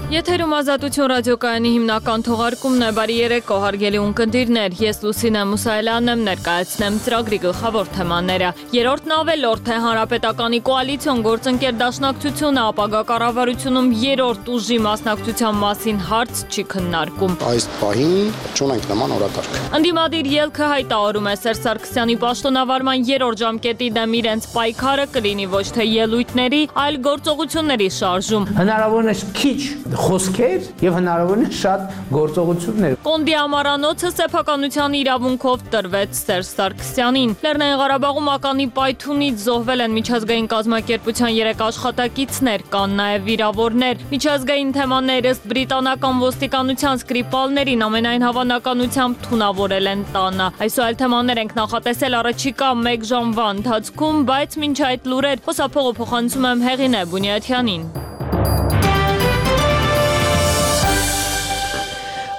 Եթերում Ազատություն ռադիոկայանի հիմնական թողարկումն է, բարի երեկո հարգելի ունկնդիրներ, ես Լուսինե Մուսայելյանն եմ, ներկայացնեմ ծրագրի գլխավոր թեմաները։ Երրորդն ավելորդ է Հանրապետականի կոալիցիոն գործընկեր դաշնակցությունը ապագա կառավարությունում երրորդ ուժի մասնակցության մասին հարց չի քննարկում։ Այս պահին չունենք նման օրակարգ։ Ընդդիմադիր ելքը հայտարարում է Սերժ Սարգսյանի պաշտոնավարման երրորդ ժամկետի դեմ իրենց պայքարը կլինի ոչ թե ելույթների, այլ գործողությունների շարժում։ Հնարավորինս քիչ խոսքեր եւ հնարավորինս շատ գործողություններ։ Կոնդի ամառանոցը սեփականության իրավունքով տրվեց Սերժ Սարգսյանին։ Լեռնային Ղարաբաղում ականի պայթունից զոհվել են միջազգային կազմակերպության 3 աշխատակիցներ, կան նաեւ վիրավորներ։ Միջազգային թեմաներ ըստ բրիտանական ոստիկանության Սկրիպալներին ամենայն հավանականությամբ թունավորել են տանը։ Այսօր այլ թեմաներ ենք նախատեսել առաջիկա 1 ժամվա ընթացքում, բայց մինչ այդ լուրեր խոսափողը փոխանցում եմ Հեղինե Բունյաթյանին։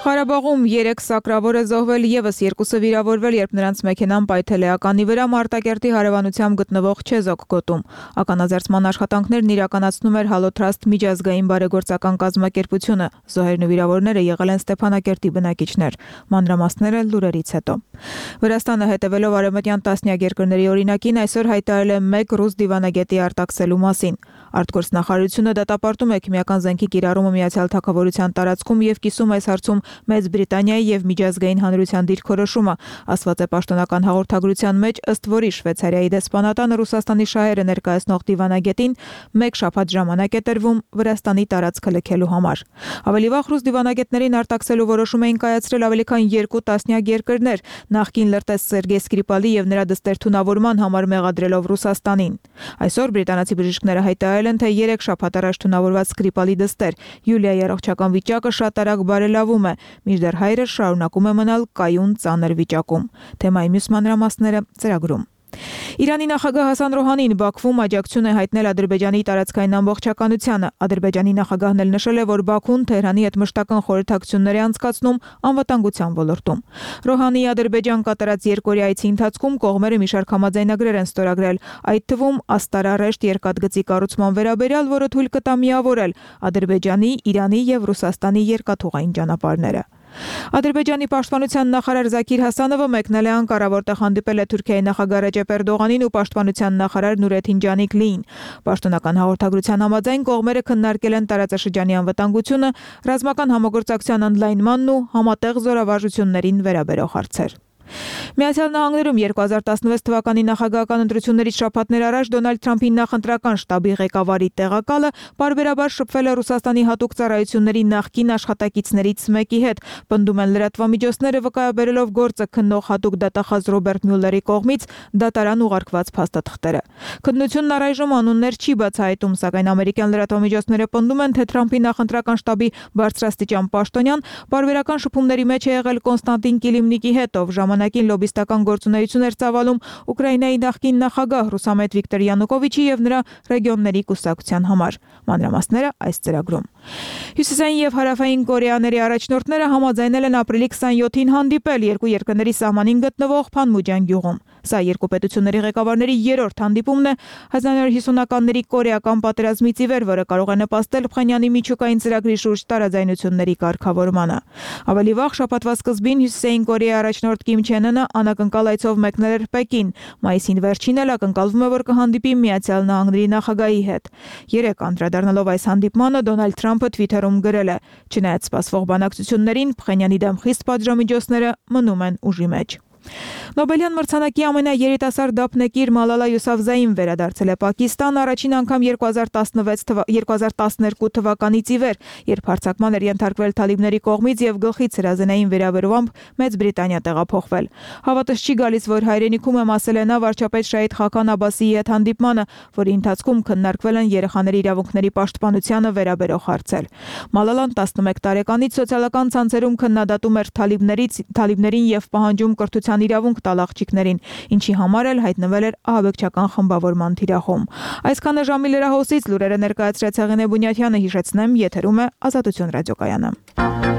Ղարաբաղում 3 սակրավոր է զոհվել, եւս 2-ը վիրավորվել, երբ նրանց մեքենան պայթել է ականի վրա Մարտակերտի հարևանությամբ գտնվող Չեզոք գոտում։ Ականաձերծման աշխատանքներն իրականացնում էր Հալոթրաստ միջազգային բարեգործական կազմակերպությունը։ Զոհերն ու վիրավորները եղել են Ստեփանակերտի բնակիչներ։ Մանրամասները լուրերից հետո։ Վրաստանը հետևելով արևմտյան տասնյակ երկրների օրինակին այսօր հայտարարել է 1 ռուս դիվանագետի արտաքսելու մասին։ Արտգործնախարարությունը դատապարտում է քիմիական զենքի կիրառումը Միացյալ Թագավորության տարածքում եւ կիսում այս հարցում Մեծ Բրիտանիայի եւ միջազգային հանրության դիրքորոշումը, ասված է պաշտոնական հաղորդագրության մեջ, ըստ որի Շվեյցարիայի դեսպանատանը Ռուսաստանի շահերը ներկայացնող դիվանագետին 1 շաբաթ ժամանակ է տրվում Վրաստանի տարածքը լքելու համար։ Ավելի վաղ ռուս դիվանագետներին արտաքսելու որոշում էին կայացրել ավելի քան 2 տասնյակ երկրներ, նախկին լրտես Սերգեյ Սկրիպալի եւ նրա դստեր թունավորման համար մեղադրելով Ռուսաստանին։ Այսօր բրիտանացի բժիշկները հայտարարել են, թե 3 շաբաթ առաջ թունավորված Սկրիպալի դստեր Յուլիայի առողջական վիճակը շատ արագ բարելավում է, մինչդեռ հայրը շարունակում է մնալ կայուն ծանր վիճակում։ Թեմայի մյուս մանրամասները ծրագրում։ Իրանի նախագահ Հասան Ռոհանին Բաքվում աջակցություն է հայտնել Ադրբեջանի տարածքային ամբողջականությանը։ Ադրբեջանի նախագահն էլ նշել է, որ Բաքուն Թեհրանի հետ մշտական խորհրդակցություններ է անցկացնում անվտանգության ոլորտում։ Ռոհանիի Ադրբեջան կատարած երկօրյա այցի ընթացքում կողմերը մի շարք համաձայնագրեր են ստորագրել, այդ թվում Աստարա-Ռեշտ երկաթգծի կառուցման վերաբերյալ, որը թույլ կտա միավորել Ադրբեջանի, Իրանի եւ Ռուսաստանի երկաթուղային ճանապարհները։ Ադրբեջանի պաշտպանության նախարար Զաքիր Հասանովը մեկնել է Անկարա, որտեղ հանդիպել է Թուրքիայի նախագահ Ռեջեփ Էրդողանին ու պաշտպանության նախարար Նուրեթին Ջանիկլիին։ Պաշտոնական հաղորդագրության համաձայն կողմերը քննարկել են տարածաշրջանի անվտանգությունը, ռազմական համագործակցության ընդլայնմանն ու համատեղ զորավարժություններին վերաբերող հարցեր։ Միացյալ Նահանգներում 2016 թվականի նախագահական ընտրություններից շաբաթներ առաջ Դոնալդ Թրամփի նախընտրական շտաբի ղեկավարի տեղակալը պարբերաբար շփվել է Ռուսաստանի հատուկ ծառայությունների նախկին աշխատակիցներից մեկի հետ, պնդում են լրատվամիջոցները, վկայաբերելով գործը քննող հատուկ դատախազ Ռոբերտ Մյուլլերի կողմից դատարան ուղարկված փաստաթղթերը։ Քննությունն առայժմ անուններ չի բացահայտում, սակայն ամերիկյան լրատվամիջոցները պնդում են, թե Թրամփի նախընտրական շտաբի բարձրաստիճան պաշտոնյան պարբերական շփումների մեջ է եղել Կոնստանտին Կիլիմնիկի հետ, ով ժամանակին լոբիստական գործունեություն էր ծավալում Ուկրաինայի նախկին նախագահ Ռուսամետ Վիկտոր Յանուկովիչի եւ նրա ռեգիոնների կուսակցության համար։ Մանրամասները այս ծրագրում։ Հյուսիսային եւ հարավային Կորեաների առաջնորդները համաձայնել են ապրիլի 27-ին հանդիպել երկու երկրների սահմանին գտնվող Փանմուջան գյուղում։ Սա երկու պետությունների ղեկավարների երրորդ հանդիպումն է 1950-ականների կորեական պատերազմից ի վեր, որը կարող է նպաստել Փխենյանի միջուկային ծրագրի շուրջ տարաձայնությունների կարգավորմանը։ Ավելի վաղ շաբաթվա սկզբին Հյուսիսային Կորեայի առաջնորդ Կիմ Չեն Ընը անակնկալ այցով մեկնել էր Պեկին։ Մայիսին վերջին էլ ակնկալվում է, որ կհանդիպի Միացյալ Նահանգների նախագահի հետ։ Երեկ անդրադառնալով այս հանդիպմանը Դոնալդ Թրամփը Թվիթերում գրել է. «Չնայած սպասվող բանակցություններին, Փխենյանի դեմ խիստ պատժամիջոցները մնում են ուժի մեջ»։ Նոբելյան մրցանակի ամենաերիտասարդ դափնեկիր Մալալա Յուսաֆզային վերադարձել է Պակիստան առաջին անգամ 2012 թվականից ի վեր, երբ հարձակման էր ենթարկվել թալիբների կողմից եւ գլխից հրազենային վերաբերությամբ Մեծ Բրիտանիա տեղափոխվել։ Հավատս չի գալիս, որ հայրենիքում եմ, ասել է նա վարչապետ Շահիդ Խական Աբասիի հետ հանդիպմանը, որի ընթացքում քննարկվել են երեխաների իրավունքների պաշտպանությանը վերաբերող հարցեր։ Մալալան 11 տարեկանից սոցիալական ցանցերում քննադատում էր թալիբներին եւ պահանջում կրթության իրավունք տալ աղջիկներին, ինչի համար էլ հայտնվել էր ահաբեկչական խմբավորման թիրախում։ Այսքանը ժամի լրահոսից լուրերը ներկայացրեց Հեղինե Բունյաթյանը, հիշեցնեմ, եթերում է Ազատություն ռադիոկայանը։